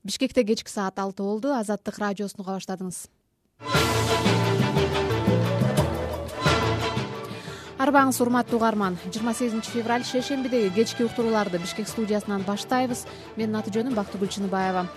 Бишкекте кечки саат 6 болду. Азаттык радиосун уга баштадыңыз. Арбаңыз урматтуу угарман. 28 февраль шейшембидеги кечки уктурууларды Бишкек студиясынан баштайбыз. Менин аты жөнүм Бактыгүл Чыныбаева.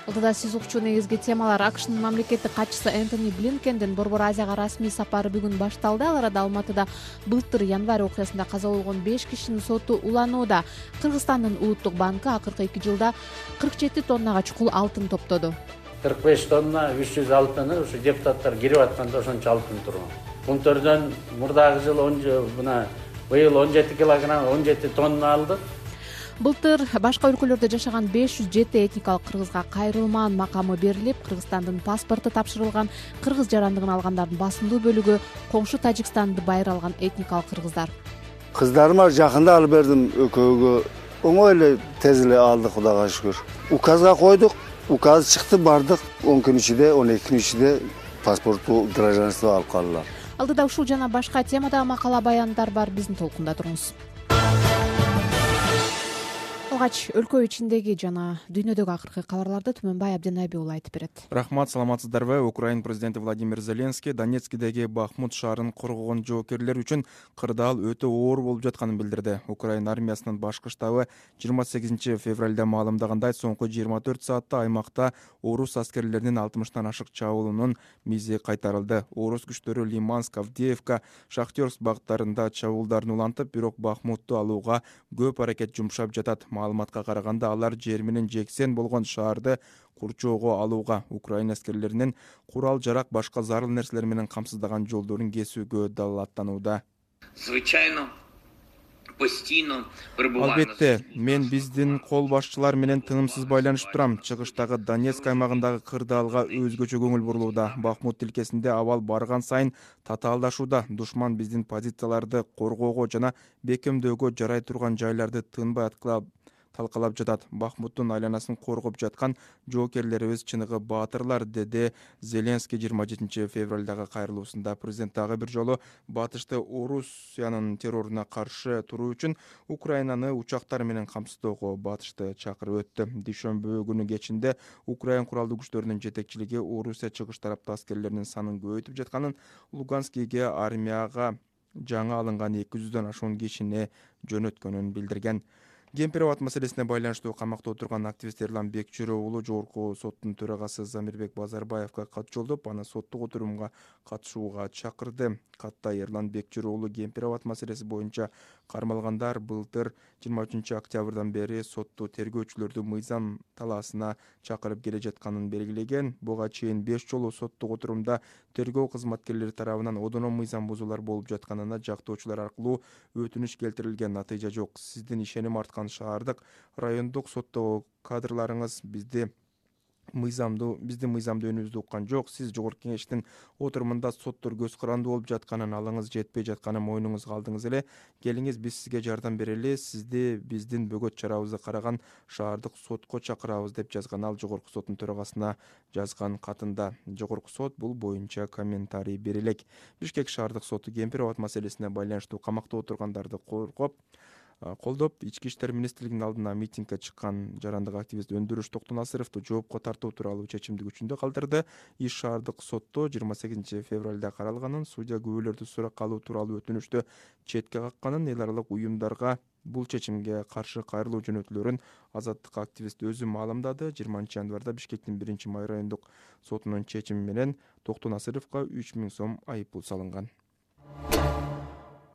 Алдыда сиз укчу негизги темалар: АКШнын мамлекеттик катчысы Энтони Блинкендин Борбор Азияга расмий сапары бүгүн башталды. Ал арада Алматыда былтыр январь окуясында каза болгон 5 кишинин соту уланууда. Кыргызстандын улуттук банкы акыркы 2 жылда 47 тоннага чукул алтын топтоду. 45 тонна 300 алтыны ушу депутаттар кирип атканда ошончо алтын турган. Пунктөрдөн мурдагы жыл быйыл 17 килограмм 17 тонна алдык. Былтыр башка өлкөлөрдө жашаган 507 этникалык кыргызга кайрылмаан макамы берилип, Кыргызстандын паспорту тапшырылган. Кыргыз жарандыгын алгандардын басымдуу бөлүгү коңшу Тажикстанды байыр алган этникалык кыргыздар. Кыздарыма жакында алып бердим экөөгө. Оңой эле тез эле алдык, Кудайга шүгүр. Указга койдук, указ чыкты, бардык. 10 күн ичинде, 12 күн ичинде паспорту, гражданство алып калдылар. Алдыда ушул жана башка темадагы макала баяндар бар. Биздин толкунда туруңуз. Алгач өлкө ичиндеги жана дүйнөдөгү акыркы кабарларды Түмөнбай Абденайби уулу айтып берет. Рахмат, саламатсыздарбы? Украин президенти Владимир Зеленский Донецкидеги Бахмут шаарын коргогон жоокерлер үчүн кырдаал өтө оор болуп жатканын билдирди. Украин армиясынын башкы штабы 28 февралда маалымдагандай, соңку 24 саатта аймакта орус аскерлеринин 60тан ашык чабуулунун мизи кайтарылды. Орус күчтөрү Лиманск, Авдеевка, Шахтерск багыттарында чабуулдарын улантып, бирок Бахмутту алууга көп аракет жумшап жатат. Маалыматка караганда, алар жер менен жексен болгон шаарды курчоого алууга, Украин аскерлеринин курал-жарак, башка зарыл нерселер менен камсыздаган жолдорун кесүүгө далааттанууда. Албетте, мен биздин кол башчылар менен тынымсыз байланышып турам. Чыгыштагы Донецк аймагындагы кырдаалга өзгөчө көңүл бурулууда. Бахмут тилкесинде абал барган сайын татаалдашууда. Душман биздин позицияларды коргоого жана бекемдөөгө жарай турган жайларды тынбай талкалап жатат. Бахмуттун айланасын коргоп жаткан жоокерлерибиз чыныгы баатырлар, деди Зеленский 27 февралдагы кайрылуусунда. Президент дагы бир жолу батышты Орусиянын терроруна каршы туруу үчүн Украинаны учактар менен камсыздоого батышты чакырып өттү. Дүйшөмбү күнү кечинде Украин куралдуу күчтөрүнүн жетекчилиги Орусия чыгыш тараптуу аскерлеринин санын көбөйтүп жатканын, Луганскиге армияга жаңы алынган 200дөн ашуун кишини жөнөткөнүн билдирген. Кемпирабад маселесине байланыштуу камакта отурган активист Эрлан Бекчүрө уулу жогорку соттун төрагасы Замирбек Базарбаевга кат жолдоп, аны соттук отурумга катышууга чакырды. Катта Эрлан Бекчүрө уулу Кемпирабад маселеси боюнча кармалгандар былтыр 23 октябрдан бери сотту тергөөчүлөрдү мыйзам талаасына чакырып келе жатканын белгилеген. Буга чейин 5 жолу соттук отурумда тергөө кызматкерлери тарабынан одоно мыйзам бузуулар болуп жатканына жактоочулар аркылуу өтүнүч келтирилген. Натыйжа жок. Сиздин ишеним арткан шаардык райондук соттогу кадрларыңыз биздин мыйзамды өнүбүздү уккан жок. Сиз жогорку кеңештин отурумунда соттор көз карандуу болуп жатканын, алыңыз жетпей жатканын мойнуңузга алдыңыз эле. Келиңиз, биз сизге жардам берели. Сизди биздин бөгөт чарабызды караган шаардык сотко чакырабыз, деп жазган ал жогорку соттун төрагасына жазган катында. Жогорку сот бул боюнча комментарий бере элек. Бишкек шаардык соту Кемпирабад маселесине байланыштуу камакта отургандарды колдоп, Ички иштер министрлигинин алдына митингге чыккан жарандык активист Өндүрүш Токтонасыровду жоопко тартуу тууралуу чечимди күчүндө калтырды. Иш шаардык сотто 28 февралда каралганын, судья күбөлөрдү суракка алуу тууралуу өтүнүштү четке какканын, эл аралык уюмдарга бул чечимге каршы кайрылуу жөнөтүлөрүн азаттык активист өзү маалымдады. 20 январда Бишкектин 1-май райондук сотунун чечими менен Токтонасыровго 3000 сом айыппул салынган.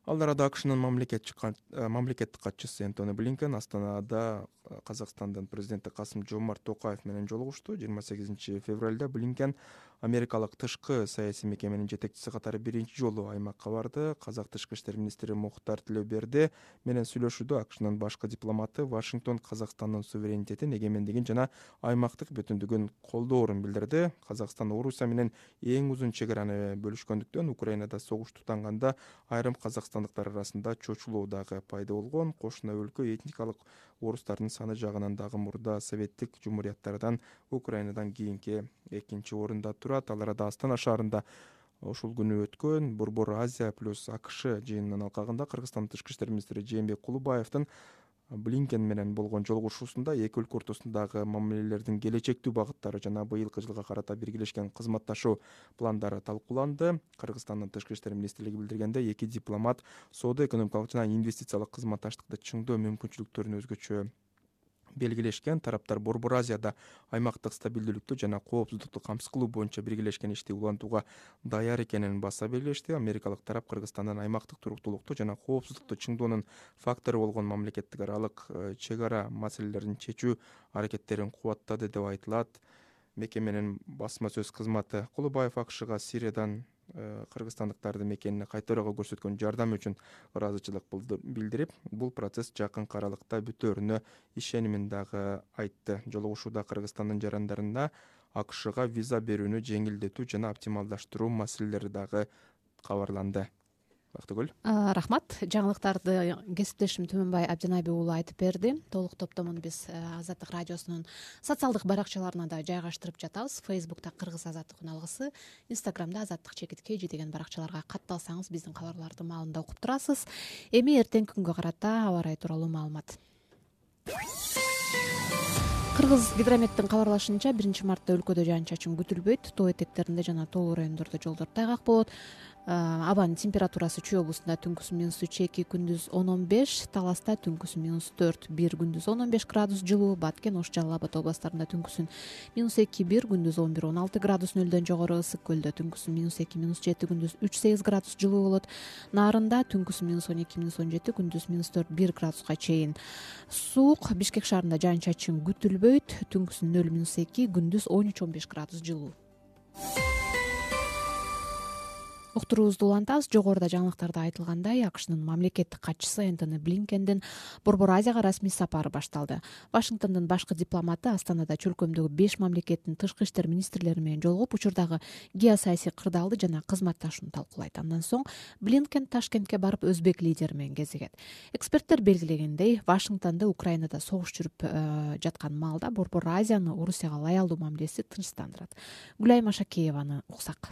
Ал арада АКШнын мамлекеттик катчысы Энтони Блинкен Астанада Казакстандын президенти Касым-Жомарт Токаев менен жолугушту. 28 февралда Блинкен америкалык тышкы саясий мекеменин жетекчиси катары биринчи жолу аймакка барды. Казак тышкы иштер министри Мухтар Тилөберди менен сүйлөшүүдө АКШнын башкы дипломаты Вашингтон Казакстандын суверенитетин, эгемендигин жана аймактык бүтүндүгүн колдоорун билдирди. Казакстан Орусия менен эң узун чегараны бөлүшкөндүктөн Украинада согуш тутанганда айрым казакстандыктар арасында чочулуу дагы пайда болгон. Кошуна өлкө этникалык орустардын саны жагынан дагы мурда советтик жумурияттардан Украинадан кийинки экинчи орунда турат. Ал арада Астана шаарында ушул күнү өткөн Борбор Азия плюс АКШ жыйынынын алкагында Кыргызстандын тышкы иштер министри Жээнбек Кулубаевдин Блинкен менен болгон жолугушуусунда эки өлкө ортосундагы мамилелердин келечектүү багыттары жана быйылкы жылга карата биргелешкен кызматташуу пландары талкууланды. Кыргызстандын тышкы иштер министрлиги билдиргендей, эки дипломат соода-экономикалык жана инвестициялык кызматташтыкты чыңдоо мүмкүнчүлүктөрүн өзгөчө белгилешкен. Тараптар Борбор Азияда аймактык стабилдүүлүктү жана коопсуздукту камсыз кылуу боюнча биргелешкен ишти улантууга даяр экенин баса белгилешти. Америкалык тарап Кыргызстандын аймактык туруктуулукту жана коопсуздукту чыңдоонун фактору болгон мамлекеттик аралык чек ара маселелерин чечүү аракеттерин кубаттады деп айтылат. Мекеменин басма сөз кызматы Кулубаев АКШга Сириядан кыргызстандыктарды мекенине кайтарууга көрсөткөн жардамы үчүн ыраазычылык билдирип, бул процесс жакынкы аралыкта бүтөөрүнө ишенимин дагы айтты. Жолугушууда Кыргызстандын жарандарына АКШга виза берүүнү жеңилдетүү жана оптималдаштыруу маселелери дагы кабарланды. Бактыгүл. Рахмат. Жаңылыктарды кесиптешим Түмөнбай Абдинабий уулу айтып берди. Толук топтомун биз Азаттык радиосунун социалдык баракчаларына да жайгаштырып жатабыз. Фейсбукта Кыргыз Азаттык үналгысы, Инстаграмда Азаттык _KG деген баракчаларга катталсаңыз биздин кабарларды маалында окуп турасыз. Эми эртеңки күнгө карата аба ырайы тууралуу маалымат. Кыргыз гидрометтин кабарлашынча 1-мартта өлкөдө жаан-чачын күтүлбөйт. Тоо этектеринде жана тоолуу райондордо жолдор тайгак болот. Абанын температурасы Чүй облусунда түнкүсү -2, күндүз 10-15, Таласта түнкүсү -4, 1 күндүз 10-15 градус жылуу, Баткен, Ош, Жалал Абад областарында түнкүсүн -2, 1 күндүз 11-16 градус нөлдөн жогору, Ысык көлдө түнкүсү -2, -7, күндүз 3-8 градус жылуу болот. Нарында түнкүсү -12, -17, күндүз -4, 1 градуска чейин суук. Бишкек шаарында жаан-чачын күтүлбөйт, түнкүсү 0-2, күндүз 13-15 градус жылуу. Уктуруубузду улантабыз. Жогоруда жаңылыктарда айтылгандай, АКШнын мамлекеттик катчысы Энтони Блинкендин Борбор Азияга расмий сапары башталды. Вашингтондун башкы дипломаты Астанада чөлкөмдөгү 5 мамлекеттин тышкы иштер министрлери менен жолугуп, учурдагы геосаясий кырдаалды жана кызматташууну талкуулайт. Андан соң Блинкен Ташкентке барып өзбек лидери менен кезигет. Эксперттер белгилегендей, Вашингтондо Украинада согуш жүрүп жаткан маалда Борбор Азияны Орусияга лоялдуу мамилеси тынчтандырат. Гүлайым Ашакееваны уксак.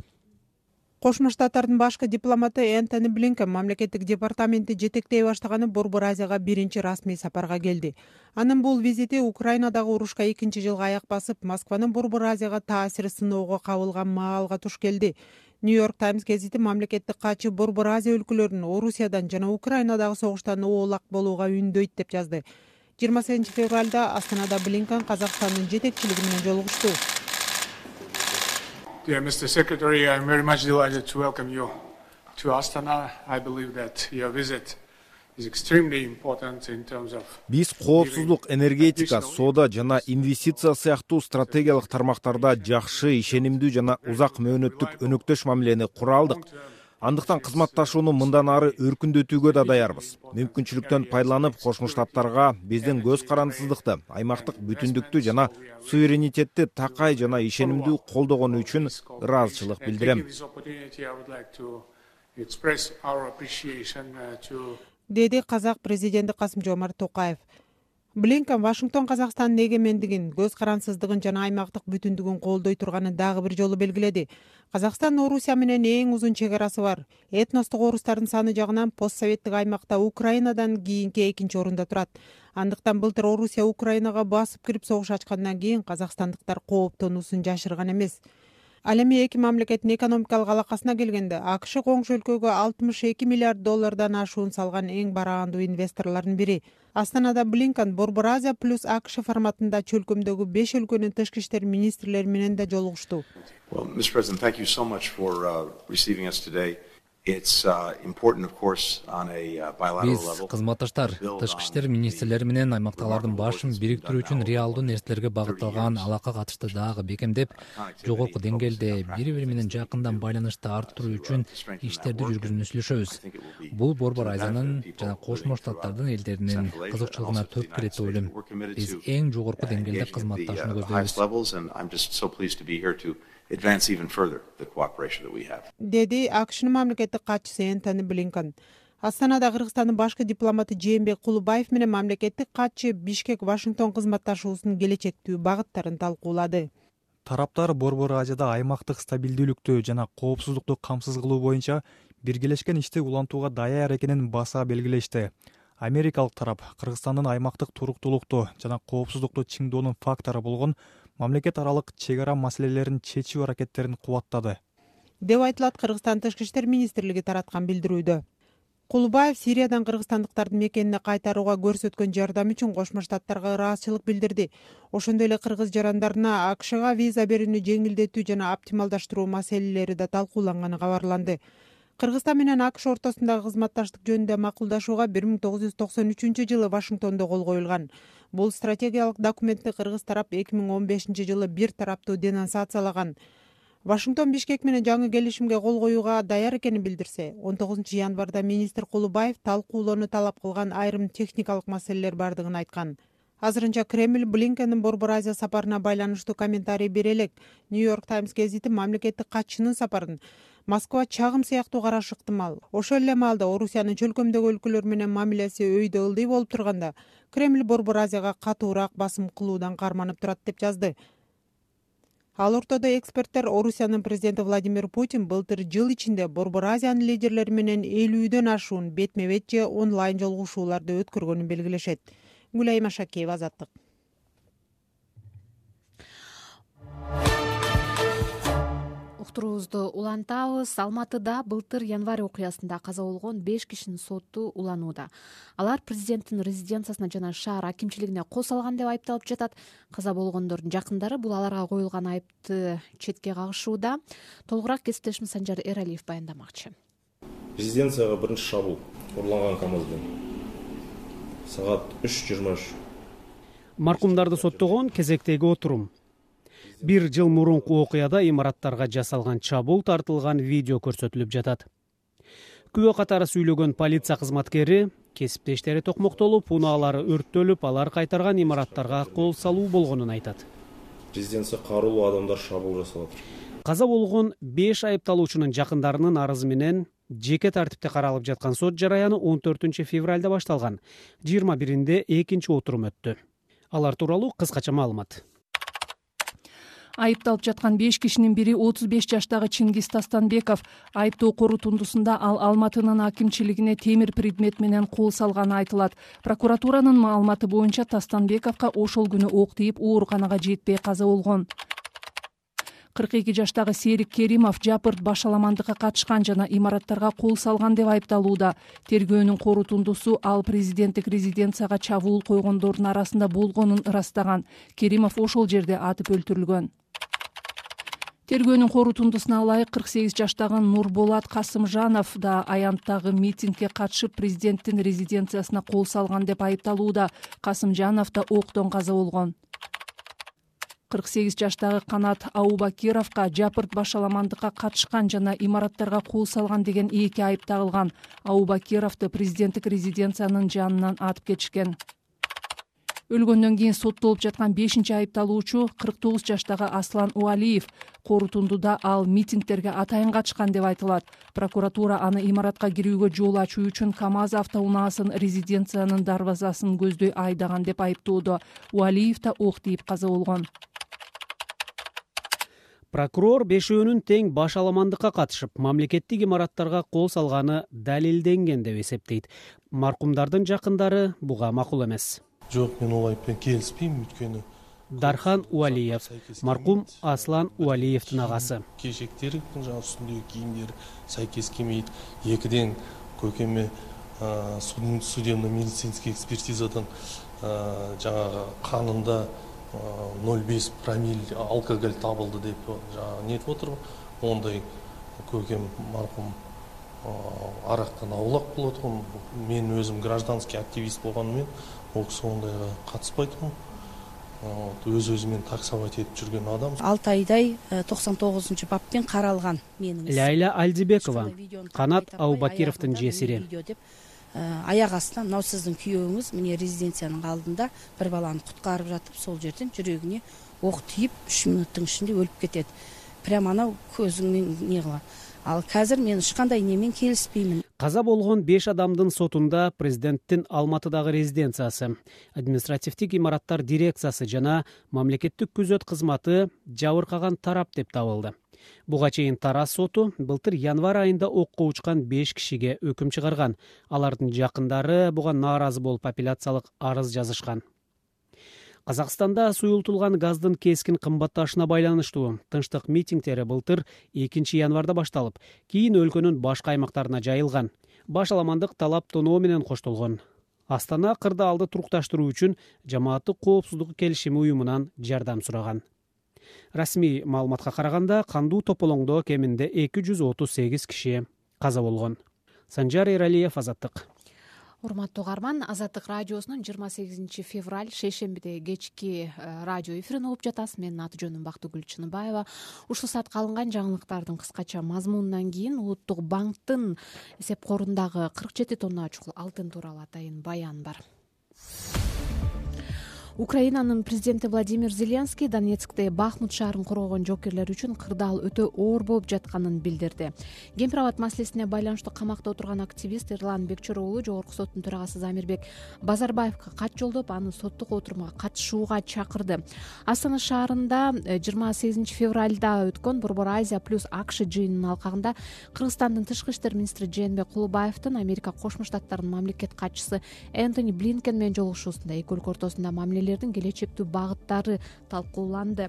Кошмо Штаттардын башкы дипломаты Энтони Блинкен мамлекеттик департаменти жетектей баштаганы Борбор Азияга биринчи расмий сапарга келди. Анын бул визити Украинадагы урушка 2-жылга аяк басып, Москванын Борбор Азияга таасири сыноого кабылган маалга туш келди. Нью-Йорк Таймс гезити мамлекеттик катчы Борбор Азия өлкөлөрүн Орусиядан жана Украинадагы согуштан оолак болууга үндөйт деп жазды. 28-февралда Астанада Блинкен Казакстандын жетекчилиги менен жолугушту. Dear Mr. Secretary, I'm very much delighted to welcome you to Astana. I believe that your visit is extremely important in terms of... Биз коопсуздук, энергетика, соода жана инвестиция сыяктуу стратегиялык тармактарда жакшы, ишенимдүү жана узак мөөнөттүк өнөктөш мамилени кура алдык. Андыктан кызматташууну мындан ары өркүндөтүүгө да даярбыз. Мүмкүнчүлүктөн пайдаланып, Кошмо Штаттарга биздин көз карандысыздыкты, аймактык бүтүндүктү жана суверенитетти такай жана ишенимдүү колдогону үчүн ыраазычылык билдирем. Деди Казак президенти Касым-Жомарт Токаев. Блинкен Вашингтон Казакстандын эгемендигин, көз карансыздыгын жана аймактык бүтүндүгүн колдой турганын дагы бир жолу белгиледи. Казакстан Орусия менен эң узун чек арасы бар. Этностук орустардын саны жагынан постсоветтик аймакта Украинадан кийинки 2-орунда турат. Андыктан былтыр Орусия Украинага басып кирип согуш ачкандан кийин казакстандыктар кооптонуусун жашырган эмес. Ал эми эки мамлекеттин экономикалык алакасына келгенде, АКШ коңшу өлкөгө $62 миллиард ашуун салган эң бараандуу инвесторлордун бири. Астанада Блинкен Борбор Азия плюс АКШ форматында чөлкөмдөгү 5 өлкөнүн тышкы иштер министрлери менен да жолугушту. Well, Mr. President, thank you so much for receiving us today. It's important, of course, on a bilateral level. Биз кызматташтар, тышкы иштер министрлери менен аймактагылардын башын бириктирүү үчүн реалдуу нерселерге багытталган алака катышты дагы бекемдеп, жогорку деңгээлде бири-бири менен жакындан байланышты арттыруу үчүн иштерди жүргүзүүнү сүйлөшөбүз. Бул Борбор Азиянын жана Кошмо Штаттардын элдеринин кызыкчылыгына төп келет деп ойлойм. Биз эң жогорку деңгээлде кызматташууну көздөйбүз. Advance even further the cooperation that we have. Деди АКШнын мамлекеттик катчысы Энтони Блинкен. Астанада Кыргызстандын башкы дипломаты Жээнбек Кулубаев менен мамлекеттик катчы Бишкек Вашингтон кызматташуусунун келечектүү багыттарын талкуулады. Тараптар Борбор Азияда аймактык стабилдүүлүктү жана коопсуздукту камсыз кылуу боюнча биргелешкен ишти улантууга даяр экенин баса белгилешти. Америкалык тарап Кыргызстандын аймактык туруктуулукту жана коопсуздукту чыңдоонун фактору болгон мамлекет аралык чек ара маселелерин чечүү аракеттерин кубаттады деп айтылат Кыргызстан Тышкы иштер министрлиги тараткан билдирүүдө. Кулубаев Сириядан кыргызстандыктардын мекенине кайтарууга көрсөткөн жардам үчүн Кошмо Штаттарга ыраазычылык билдирди. Ошондой эле кыргыз жарандарына АКШга виза берүүнү жеңилдетүү жана оптималдаштыруу маселелери да талкууланганы кабарланды. Кыргызстан менен АКШ ортосундагы кызматташтык жөнүндө макулдашууга 1993 жылы Вашингтондо кол коюлган. Бул стратегиялык документти кыргыз тарап 2015 жылы бир тараптуу денонсациялаган. Вашингтон Бишкек менен жаңы келишимге кол коюуга даяр экенин билдирсе, 19 январда министр Кулубаев талкуулоону талап кылган айрым техникалык маселелер бардыгын айткан. Азырынча Кремль Блинкендин Борбор Азия сапарына байланыштуу комментарий бере элек. Нью-Йорк Таймс гезити мамлекеттик катчынын сапарын Москва чагым сыяктуу карашы ыктымал. Ошол эле маалда Орусиянын чөлкөмдөгү өлкөлөр менен мамилеси өйдө ылдый болуп турганда, Кремль Борбор Азияга катуураак басым кылуудан карманып турат деп жазды. Ал ортодо эксперттер Орусиянын президенти Владимир Путин былтыр жыл ичинде Борбор Азиянын лидерлери менен 50дөн ашуун бетме-бет же онлайн жолугушууларды өткөргөнүн белгилешет. Гүлайым Ашакеева, Азаттык. Уктуруубузду улантабыз. Алматыда былтыр январь окуясында каза болгон 5 кишинин соту уланууда. Алар президенттин резиденциясына жана шаар акимчилигине кол салган деп айыпталып жатат. Каза болгондордун жакындары бул аларга коюлган айыпты четке кагышууда. Толугураак кесиптешим Санжар Эралиев баяндамакчы. Резиденцияга биринчи шабуул урланган КАМАЗ менен саат 3:23. Маркумдарды соттогон кезектеги отурум. Бир жыл мурунку окуяда имараттарга жасалган чабуул тартылган видео көрсөтүлүп жатат. Күбө катары сүйлөгөн полиция кызматкери кесиптештери токмоктолуп, унаалары өрттөлүп, алар кайтарган имараттарга кол салуу болгонун айтат. Резиденция каруулуу адамдар шабуул жасап атат. Каза болгон 5 айыпталуучунун жакындарынын арызы менен жеке тартипте каралып жаткан сот жараяны 14 февралда башталган. 21-нде экинчи отурум өттү. Алар тууралуу кыскача маалымат. Айыпталып жаткан 5 кишинин бири 35 жаштагы Чингиз Тастанбеков. Айыптоо корутундусунда ал Алматынын акимчилигине темир предмет менен кол салганы айтылат. Прокуратуранын маалыматы боюнча Тастанбековго ошол күнү ок тийип ооруканага жетпей каза болгон. 42 жаштагы Серик Керимов жапырт башаламандыкка катышкан жана имараттарга кол салган деп айыпталууда. Тергөөнүн корутундусу ал президенттик резиденцияга чабуул койгондордун арасында болгонун ырастаган. Керимов ошол жерде атып өлтүрүлгөн. Тергөөнүн корутундусуна ылайык 48 жаштагы Нурболат Касымжанов да аянттагы митингге катышып президенттин резиденциясына кол салган деп айыпталууда. Касымжанов да октон каза болгон. 48 жаштагы Канат Аубакировго жапырт башаламандыкка катышкан жана имараттарга кол салган деген 2 айып тагылган. Аубакировду президенттик резиденциянын жанынан атып кетишкен. Өлгөндөн кийин соттолуп жаткан 5-чи айыпталуучу 49 жаштагы Аслан Уалиев. Корутундуда ал митингтерге атайын катышкан деп айтылат. Прокуратура аны имаратка кирүүгө жол ачуу үчүн КАМАЗ автоунаасын резиденциянын дарбазасын көздөй айдаган деп айыптоодо. Уалиев да ок тийип каза болгон. Прокурор бешөөнүн тең башаламандыкка катышып, мамлекеттик имараттарга кол салганы далилденген деп эсептейт. Маркумдардын жакындары буга макул эмес. Жок, мен ол айыппен келиспейм, өткөнү Дархан Уалиев, маркум Аслан Уалиевдин агасы. Кежектери, жаңа үстүндөгү кийимдери сайкес келмейт. Экиден көкеме судебно-медицинский экспертизадан жаңа канында 0,5 промилле алкоголь табылды деп жаңа нетип отур. Ондай көкем маркум арактан аулак болот. Мен өзүм гражданский активист болгонуммен ол киши ондайга катыспайтмын. Өз-өзүмен таксовать этип жүргөн адам. 6 айдай 99 баппен каралган менин. Лайла Альдибекова, Канат Аубакировдун жесири. Аяк астынан мына сиздин күйөөңүз міне резиденциянын алдында бир баланы куткарып жатып, сол жерден жүрөгүнө ок тийип 3 мүнөттүн ичинде өлүп кетет. Прямо анау көзүңмен не кылат. Ал қазір мен ешқандай немен келіспеймін. Каза болгон 5 адамдын сотунда президенттин Алматыдагы резиденциясы, административдик имараттар дирекциясы жана мамлекеттик күзөт кызматы жабыркаган тарап деп табылды. Буга чейин Тараз соту былтыр январь айында окко учкан 5 кишиге өкүм чыгарган. Алардын жакындары буга нааразы болуп апелляциялык арыз жазышкан. Казакстанда суюлтулган газдын кескин кымбатташына байланыштуу тынчтык митингдери былтыр 2 январда башталып, кийин өлкөнүн башка аймактарына жайылган. Башаламандык талап тоноо менен коштолгон. Астана кырдаалды турукташтыруу үчүн жамааттык коопсуздук келишими уюмунан жардам сураган. Расмий маалыматка караганда, кандуу тополоңдо кеминде 238 киши каза болгон. Санжар Эралиев, Азаттык. Урматтуу угарман, Азаттык радиосунун 28 февраль шейшембиде кечки радио эфирин угуп жатасыз. Менин аты жөнүм Бактыгүл Чыныбаева. Ушул саатка алынган жаңылыктардын кыскача мазмунунан кийин Улуттук банктын эсеп корундагы 47 тонна чукул алтын тууралуу атайын баян бар. Украинанын президенти Владимир Зеленский Донецкте Бахмут шаарын коргогон жоокерлер үчүн кырдаал өтө оор болуп жатканын билдирди. Кемпир-абад маселесине байланыштуу камакта отурган активист Эрлан Бекчөр уулу Жогорку соттун төрагасы Замирбек Базарбаевга кат жолдоп, аны соттук отурумга катышууга чакырды. Астана шаарында 28 февралда өткөн Борбор Азия плюс АКШ жыйынынын алкагында Кыргызстандын тышкы иштер министри Жээнбек Кулубаевдин Америка Кошмо Штаттарынын мамлекет катчысы Энтони Блинкен менен жолугушуусунда эки өлкө ортосунда мамилелердин келечектүү багыттары талкууланды.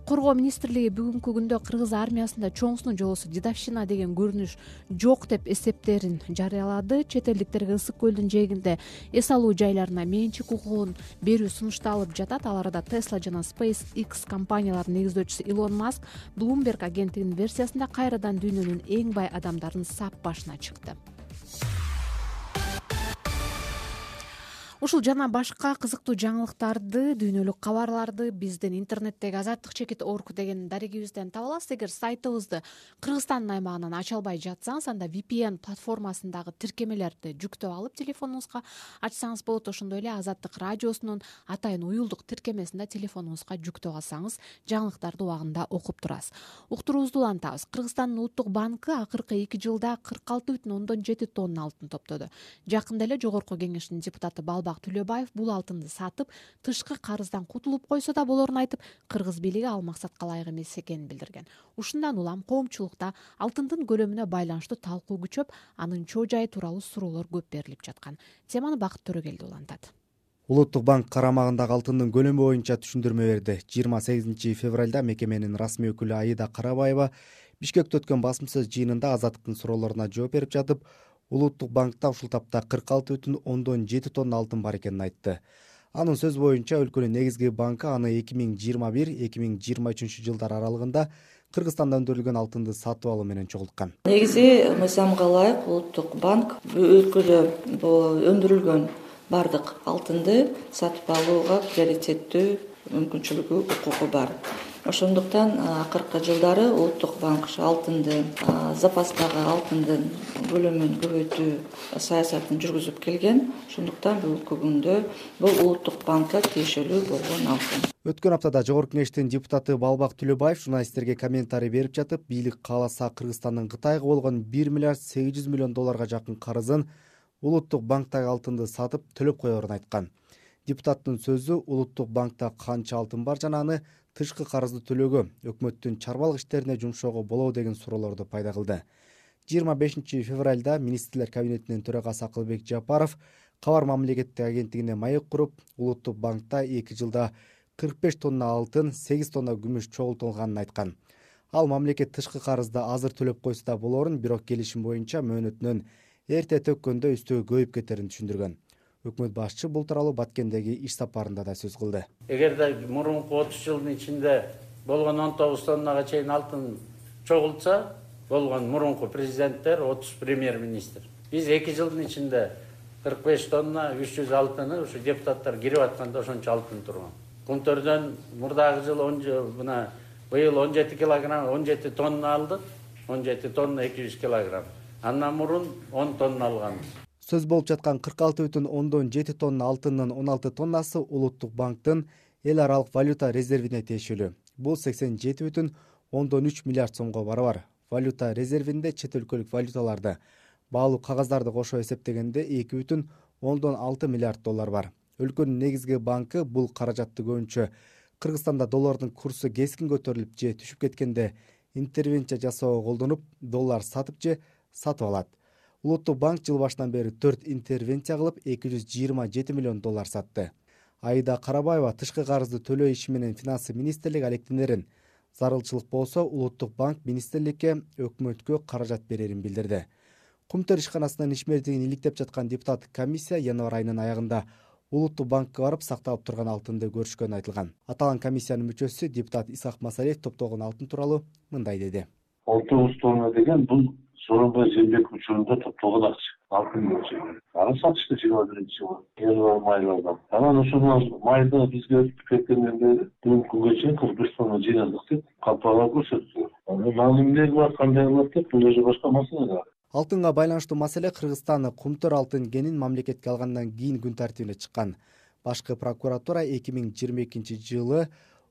Коргоо министрлиги бүгүнкү күндө кыргыз армиясында чоңсунун жолосу дедовщина деген көрүнүш жок деп эсептерин жарыялады. Чет элдиктерге Ысык көлдүн жээгинде эс алуу жайларына менчик укугун берүү сунушталып жатат. Ал арада Tesla жана SpaceX компанияларынын негиздөөчүсү Илон Маск Bloomberg агенттигинин версиясында кайрадан дүйнөнүн эң бай адамдарын сап башына чыкты. Ушул жана башка кызыктуу жаңылыктарды, дүйнөлүк кабарларды биздин интернеттеги azattik.org деген дарегибизден таба аласыз. Эгер сайтыбызды Кыргызстандын аймагынан ача албай жатсаңыз, анда VPN платформасындагы тиркемелерди жүктөп алып телефонуңузга ачсаңыз болот. Ошондой эле Азаттык радиосунун атайын уюлдук тиркемесинде телефонуңузга жүктөп алсаңыз, жаңылыктарды убагында окуп турасыз. Уктуруубузду улантабыз. Кыргызстандын Улуттук банкы акыркы 2 жылда 46,7 тонна алтын топтоду. Жакында эле Жогорку кеңештин депутаты Төлөбаев бул алтынды сатып, тышкы карыздан кутулуп койсо да болорун айтып, кыргыз бийлиги ал максатка ылайык эмес экенин билдирген. Ушундан улам коомчулукта алтындын көлөмүнө байланыштуу талкуу күчөп, анын чоо жайы тууралуу суроолор көп берилип жаткан. Теманы Бакыт Төрөгелди улантат. Улуттук банк карамагындагы алтындын көлөмү боюнча түшүндүрмө берди. 28 февралда мекеменин расмий өкүлү Аида Карабаева Бишкекте өткөн басымсыз жыйынында Азаттыктын суроолоруна жооп берип жатып, Улуттук банкта ушул тапта 46,7 тонна алтын бар экенин айтты. Анын сөз боюнча өлкөнүн негизги банкы аны 2021-2023 жылдар аралыгында Кыргызстанда өндүрүлгөн алтынды сатып алуу менен чогулткан. Негизи мыйзамга ылайык Улуттук банк өлкөдө өндүрүлгөн бардык алтынды сатып алууга приоритеттүү мүмкүнчүлүгү, укугу бар. Ошондуктан акыркы жылдары Улуттук банк алтынды, запастагы алтындын көлөмүн көбөйтүү саясатын жүргүзүп келген. Ошондуктан бүгүнкү күндө бул Улуттук банкка тиешелүү болгон алтын. Өткөн аптада Жогорку кеңештин депутаты Балбак Төлөбаев журналисттерге комментарий берип жатып, бийлик кааласа Кыргызстандын Кытайга болгон 1 миллиард 800 миллион долларга жакын карызын Улуттук банктагы алтынды сатып төлөп коерун айткан. Депутаттын сөзү Улуттук банкта канча алтын бар жана аны тышкы карызды төлөөгө, өкмөттүн чарбалык иштерине жумшоого болобу деген суроолорду пайда кылды. 25 февралда министрлер кабинетинин төрагасы Акылбек Жапаров Кабар мамлекеттик агенттигине маек куруп, Улуттук банкта 2 жылда 45 тонна алтын, 8 тонна күмүш чогултулганын айткан. Ал мамлекет тышкы карызды азыр төлөп койсо да болорун, бирок келишим боюнча мөөнөтүнөн эрте төккөндө үстөө көйүп кетерин түшүндүргөн. Өкмөт башчы бул тууралуу Баткендеги иш сапарында да сөз кылды. Эгерде мурунку 30 жылдын ичинде болгон 19 тоннага чейин алтын чогултса, болгон мурунку президенттер, 30 премьер-министр. Биз 2 жылдын ичинде 45 тонна 300 алтыны ушу депутаттар кирип атканда ошончо алтын турган. Күнтөрдөн мурдагы жыл быйыл 17 килограмм, 17 тонна алдык, 17 тонна 200 килограмм. Андан мурун 10 тонна алганбыз. Сөз болуп жаткан 46,7 тонна алтындын 16 тоннасы Улуттук банктын эл аралык валюта резервине тиешелүү. Бул 87,3 миллиард сомго барабар. Валюта резервинде чет өлкөлүк валюталарды, баалуу кагаздарды кошо эсептегенде 2,6 миллиард доллар бар. Өлкөнүн негизги банкы бул каражатты көбүнчө Кыргызстанда доллардын курсу кескин көтөрүлүп же түшүп кеткенде интервенция жасоого колдонуп, доллар сатып же сатып алат. Улуттук банк жыл башынан бери 4 интервенция кылып 227 миллион доллар сатты. Аида Карабаева тышкы карызды төлөө иши менен финансы министрлиги алектенерин. Зарылчылык болсо Улуттук банк министрликке өкмөткө каражат берерин билдирди. Кумтөр ишканасынын ишмердигин иликтеп жаткан депутаттык комиссия январь айынын аягында Улуттук банкка барып сакталып турган алтынды көрүшкөнү айтылган. Аталган комиссиянын мүчөсү депутат Исак Масалиев топтогон алтын тууралуу мындай деди. 6 тонна деген бул Сооронбай Жээнбеков учурунда топтогон акча. Алтын мөлчөрү. Аны сатышты 21-жылы. Январь майларда. Анан ошол майда бизге өтүп кеткенден бери бүгүнкү күнгө чейин 41 тонна жыйнадык деп компаниялар көрсөттү. Анан эмне кылат, кандай кылат деп бул уже башка маселе да. Алтынга байланыштуу маселе Кыргызстан кумтөр алтын кенин мамлекетке алгандан кийин күн тартибине чыккан. Башкы прокуратура 2022-жылы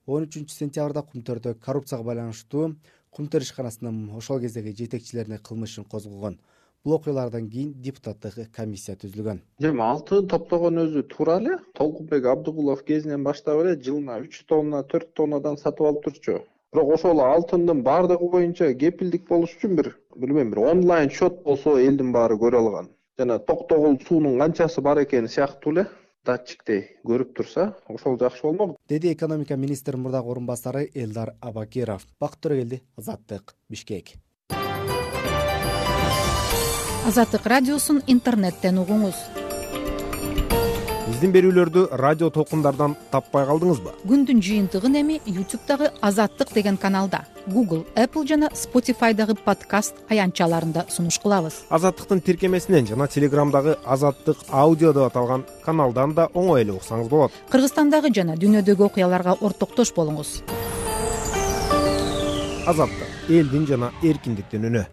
13 сентябрда кумтөрдө коррупцияга байланыштуу кумтөр ишканасынын ошол кездеги жетекчилерине кылмыш ишин козгогон. Бул окуялардан кийин депутаттык комиссия түзүлгөн. Эми алтын топтогон өзү туура эле. Толкунбек Абдыгулов кезинен баштап эле жылына 3 тонна, 4 тоннадан сатып алып турчу. Бирок ошол алтындын бардыгы боюнча кепилдик болуш үчүн билбейм, бир онлайн счет болсо элдин баары көрө алган. Жана токтогул суунун канчасы бар экени сыяктуу эле датчиктей көрүп турса, ошол жакшы болмок, деди экономика министринин мурдагы орун басары Элдар Абакиров. Бакыт Төрөгелди, Азаттык, Бишкек. Азаттык радиосун интернеттен угуңуз. Биздин берүүлөрдү радио толкундардан таппай калдыңызбы? Күндүн жыйынтыгын эми YouTube'дагы Азаттык деген каналда, Google, Apple жана Spotify'дагы подкаст аянтчаларында сунуш кылабыз. Азаттыктын тиркемесинен жана Телеграмдагы Азаттык аудио деп аталган каналдан да оңой эле уксаңыз болот. Кыргызстандагы жана дүйнөдөгү окуяларга ортоктош болуңуз. Азаттык, элдин жана эркиндиктин үнү.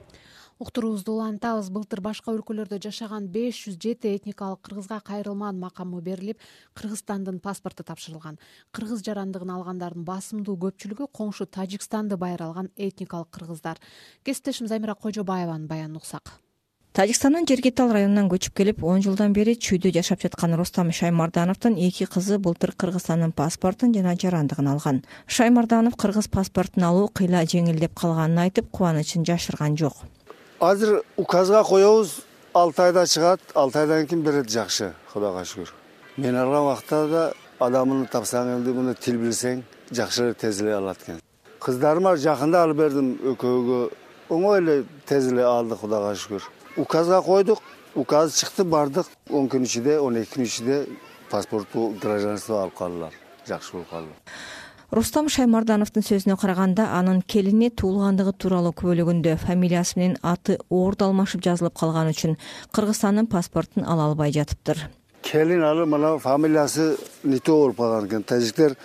Уктуруубузду улантабыз. Былтыр башка өлкөлөрдө жашаган 507 этникалык кыргызга кайрылман макамы берилип, Кыргызстандын паспорту тапшырылган. Кыргыз жарандыгын алгандардын басымдуу көпчүлүгү коңшу Тажикстанды байыр алган этникалык кыргыздар. Кесиптешим Замира Кожобаеванын баянын уксак. Тажикстандын Жергетал районунан көчүп келип, 10 жылдан бери чүйдө жашап жаткан Рустам Шаймардановдун 2 кызы былтыр Кыргызстандын паспортун жана жарандыгын алган. Шаймарданов кыргыз паспортун алуу кыйла жеңилдеп калганын айтып, кубанычын жашырган жок. Азыр указга коебуз, 6 айда чыгат, 6 айдан кийин берет, жакшы, Кудайга шүгүр. Мен алган убакта да адамын тапсаң эле муну тил билсең, жакшы тез эле алат экен. Кыздарыма жакында алып бердим экөөгө. Оңой эле тез эле алдык, Кудайга шүгүр. Указга койдук, указ чыкты, бардык. 10 күн ичинде, 12 күн ичинде паспорту, гражданство алып калдылар. Жакшы болуп калды. Рустам Шаймардановдун сөзүнө караганда, анын келини туулгандыгы тууралуу күбөлөгүндө фамилиясы менен аты орду алмашып жазылып калган үчүн Кыргызстандын паспортун ала албай жатыптыр. Келин алып мына фамилиясы нете болуп калган экен. Тажиктер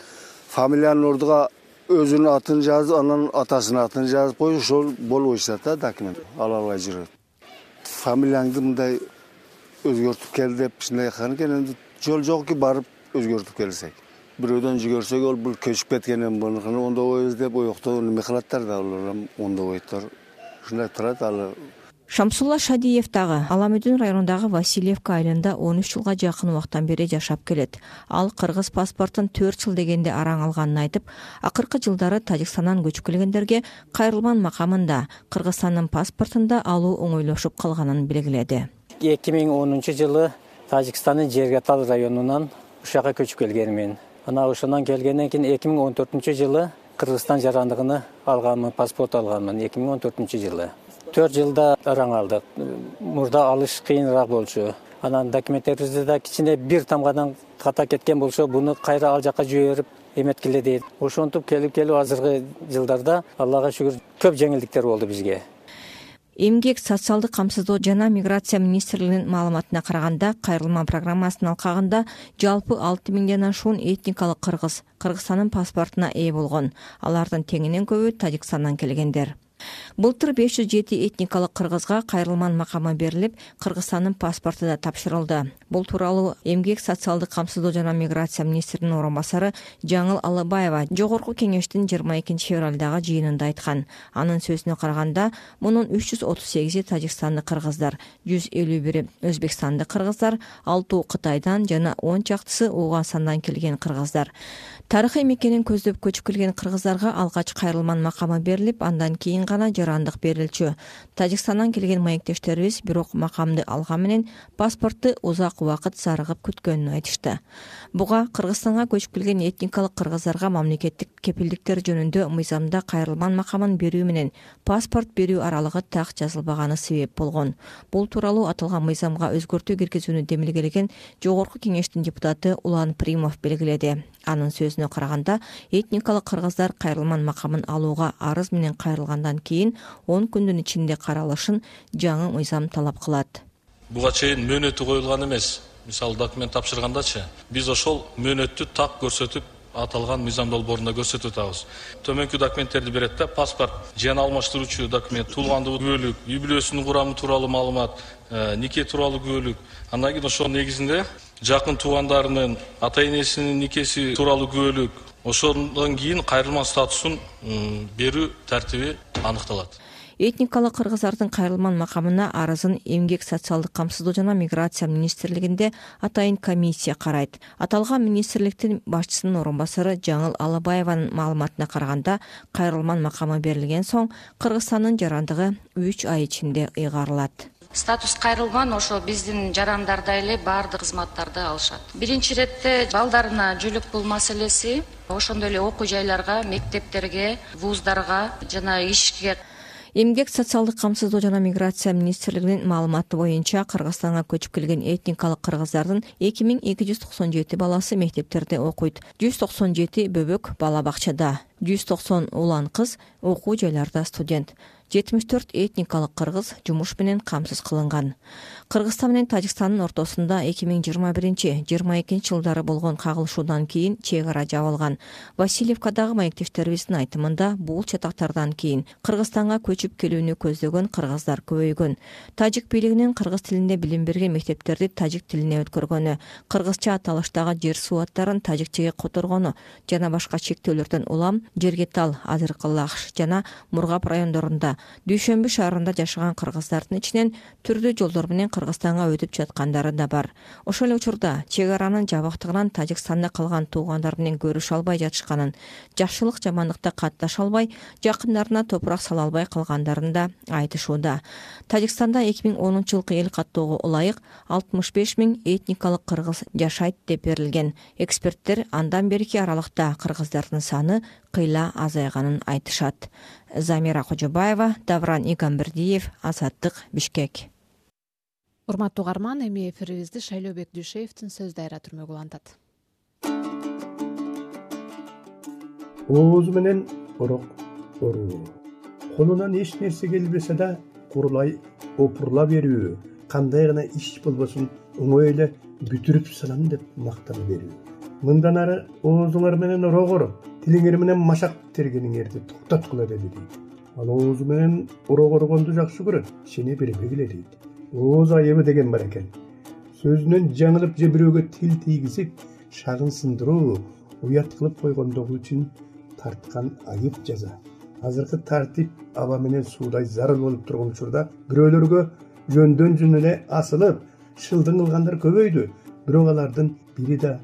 фамилиянын ордуга өзүнүн атын жазып, анан атасынын атын жазып коюп, ошол болбой жатат да документ. Ала албай жүрөт. Фамилияңды мындай өзгөртүп кел деп ушундай кылган экен. Эми жол жок ки барып өзгөртүп келсек. Бирөөдөн жүгөрсөк ол бул көчүп кеткен bunukunu ондобойбуз деп оюкта неме кылаттар да, алар ондобойдор. Ушундай турат ал. Шамсулла Шадиев дагы Аламүдүн районундагы Васильевка айылында 13 жылга жакын убактан бери жашап келет. Ал кыргыз паспортун 4 жыл дегенде араң алганын айтып, акыркы жылдары Тажикстандан көчүп келгендерге кайрылман макамында Кыргызстандын паспортунда алуу оңойлошуп калганын белгиледи. 2010 жылы Тажикстандын Жергетал районунан ушага көчүп келгенмин. Ана ошондан келгенден кийин 2014 жылы Кыргызстан жарандыгын алганмын, паспорт алганмын 2014 жылы. 4 жылда араң алдык. Мурда алыш кыйыныраак болчу. Анан документтерибизде да кичине бир тамгадан ката кеткен болсо, буну кайра ал жака жиберип эметкиле дейт. Ошентип келип азыркы жылдарда Аллага шүгүр көп жеңилдиктер болду бизге. Эмгек, социалдык камсыздоо жана миграция министрлигинин маалыматына караганда, кайрылма программасынын алкагында жалпы 6000ден ашуун этникалык кыргыз Кыргызстандын паспортуна ээ болгон. Алардын теңинен көбү Тажикстандан келгендер. Былтыр 507 этникалык кыргызга кайрылман макамы берилип, Кыргызстандын паспорту да тапшырылды. Бул тууралуу Эмгек социалдык камсыздоо жана миграция министринин орун басары Жаңыл Алыбаева Жогорку кеңештин 22 февралдагы жыйынында айткан. Анын сөзүнө караганда, мунун 338 тажикстандык кыргыздар, 151 өзбекстандык кыргыздар, 6 Кытайдан жана 10 чактысы Ооганстандан келген кыргыздар. Тарыхый мекенин көздөп көчүп келген кыргыздарга алгач кайрылман макамы берилип, андан кийин гана жарандык берилчү. Тажикстандан келген маектештерибиз бирок макамды алган менен паспортту узак убакыт зарыгып күткөнүн айтышты. Буга Кыргызстанга көчүп келген этникалык кыргыздарга мамлекеттик кепилдиктер жөнүндө мыйзамда кайрылман макамын берүү менен паспорт берүү аралыгы так жазылбаганы себеп болгон. Бул тууралуу аталган мыйзамга өзгөртүү киргизүүнү демилгелеген Жогорку кеңештин депутаты Улан Примов белгиледи. Анын сөзүнө караганда, этникалык кыргыздар кайрылман макамын алууга арыз менен кайрылгандан кийин 10 күндүн ичинде каралышын жаңы мыйзам талап кылат. Буга чейин мөөнөтү коюлган эмес. Мисалы документ тапшыргандачы, биз ошол мөөнөттү так көрсөтүп, аталган мыйзам долбоорунда көрсөтүп атабыз. Төмөнкү документтерди берет да, паспорт, жан алмаштыруучу документ, туулгандыгы күбөлүк, үй бүлөсүнүн курамы тууралуу маалымат, нике тууралуу күбөлүк. Андан кийин ошонун негизинде жакын туугандарынын, ата энесинин никеси тууралуу күбөлүк, ошондон кийин кайрылман статусун берүү тартиби аныкталат. Этникалык кыргыздардын кайрылман макамына арызын Эмгек социалдык камсыздоо жана миграция министрлигинде атайын комиссия карайт. Аталган министрликтин башчысынын орун басары Жаңыл Алыбаеванын маалыматына караганда, кайрылман макамы берилген соң Кыргызстандын жарандыгы 3 ай ичинде ыйгарылат. Статус кайрылган ошо биздин жарандарда эле баардык кызматтарды алышат. Биринчи иретте балдарына жүлүк бул маселеси, ошондой эле окуу жайларга, мектептерге, вуздарга жана ишке. Эмгек социалдык камсыздоо жана миграция министрлигинин маалыматы боюнча Кыргызстанга көчүп келген этникалык кыргыздардын 2297 баласы мектептерде окуйт. 197 бөбөк бала бакчада, 190 улан кыз окуу жайларда студент. 74 этникалык кыргыз жумуш менен камсыз кылынган. Кыргызстан менен Тажикстандын ортосунда 2021-22 жылдары болгон кагылышуудан кийин чек ара жабылган. Васильевкадагы маектештерибиздин айтымында бул чатактардан кийин Кыргызстанга көчүп келүүнү көздөгөн кыргыздар көбөйгөн. Тажик бийлигинин кыргыз тилинде билим берген мектептерди тажик тилине өткөргөнү, кыргызча аталыштагы жер суу аттарын тажикчеге которгону жана башка чектөөлөрдөн улам Жергетал, Азыркылаш жана Мургап райондорунда Дүйшөмбү шаарында жашаган кыргыздардын ичинен түрдүү жолдор менен Кыргызстанга өтүп жаткандары да бар. Ошол эле учурда чек аранын жабыктыгынан Тажикстанда калган туугандар менен көрүшө албай жатышканын, жакшылык жамандыкта катташа албай, жакындарына топурак сала албай калгандарын да айтышууда. Тажикстанда 2010 жылкы эл каттоого ылайык 65 000 этникалык кыргыз жашайт деп берилген. Эксперттер андан берки аралыкта кыргыздардын саны кыйла азайганын айтышат. Замира Кожобаева, Давран Игамбердиев, Азаттык, Бишкек. Урматтуу угарман, эми эфирибизди Шайлообек Дүйшеевдин сөз дайра түрмөгү улантат. Оозу менен орок оруу. Колунан эч нерсе келбесе да курулай опурла берүү, кандай гана иш болбосун оңой эле бүтүрүп салам деп мактана берүү. Мындан ары оозуңар менен орогор, тилиңер менен машак тергениңерди токтоткула деди дейт. Ал оозу менен орогоргонду жакшы көрөт, сени бербегиле дейт. Ооз айыбы деген бар экен. Сөзүнөн жаңылып же бирөөгө тил тийгизип, шагын сындыруу, уят кылып койгондугу үчүн тарткан айып жаза. Азыркы тартип аба менен суудай зарыл болуп турган учурда бирөөлөргө жөндөн жөн эле асылып, шылдың кылгандар көбөйдү. Бирок алардын бири да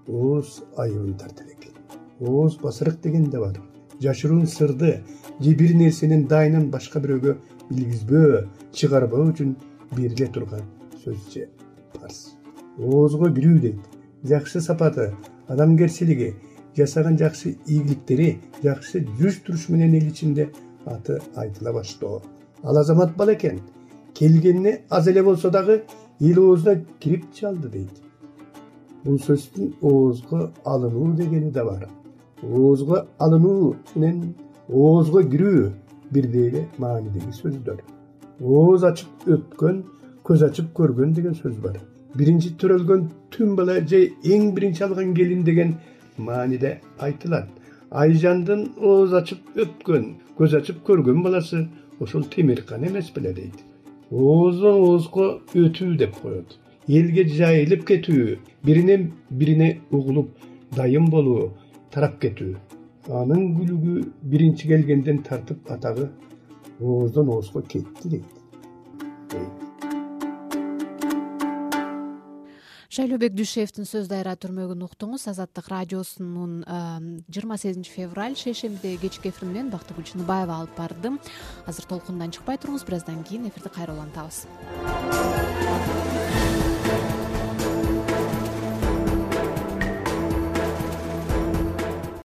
ооз айыбын тартат экен. Ооз басырык деген да бар. Жашыруун сырды же бир нерсенин дайынын башка бирөөгө билгизбөө, чыгарбоо үчүн бериле турган сөз же парс. Оозго кирүү дейт. Жакшы сапаты, адамгерчилиги, жасаган жакшы ийгиликтери, жакшы жүрүш-туруш менен эл ичинде аты айтыла баштоо. Ал азамат бала экен. Келгенине аз эле болсо дагы эл оозуна кирип чалды дейт. Бул сөздүн оозго алынуу дегени да бар. Оозго алынуу менен оозго кирүү бирдей эле маанидеги сөздөр. Ооз ачып өткөн, көз ачып көргөн деген сөз бар. Биринчи төрөлгөн түн бала же эң биринчи алган келин деген мааниде айтылат. айжандын ооз ачып өпкөн, көз ачып көргөн баласы ошол Темиркан эмес беле дейт. Оозон оозго өтүү деп коет. Элге жайылып кетүү, биринен бирине угулуп дайым болуу, тарап кетүү. Анын күлүгү биринчи келгенден тартып атагы оозон оозго кетти дейт. Шайлообек Дүйшеевдин сөз дайра түрмөгүн уктуңуз. Азаттык радиосунун 28 февраль шейшембидеги кечки эфирин менен Бактыгүл Чыныбаева алып бардым. Азыр толкундан чыкпай туруңуз, бир аздан кийин эфирди кайра улантабыз.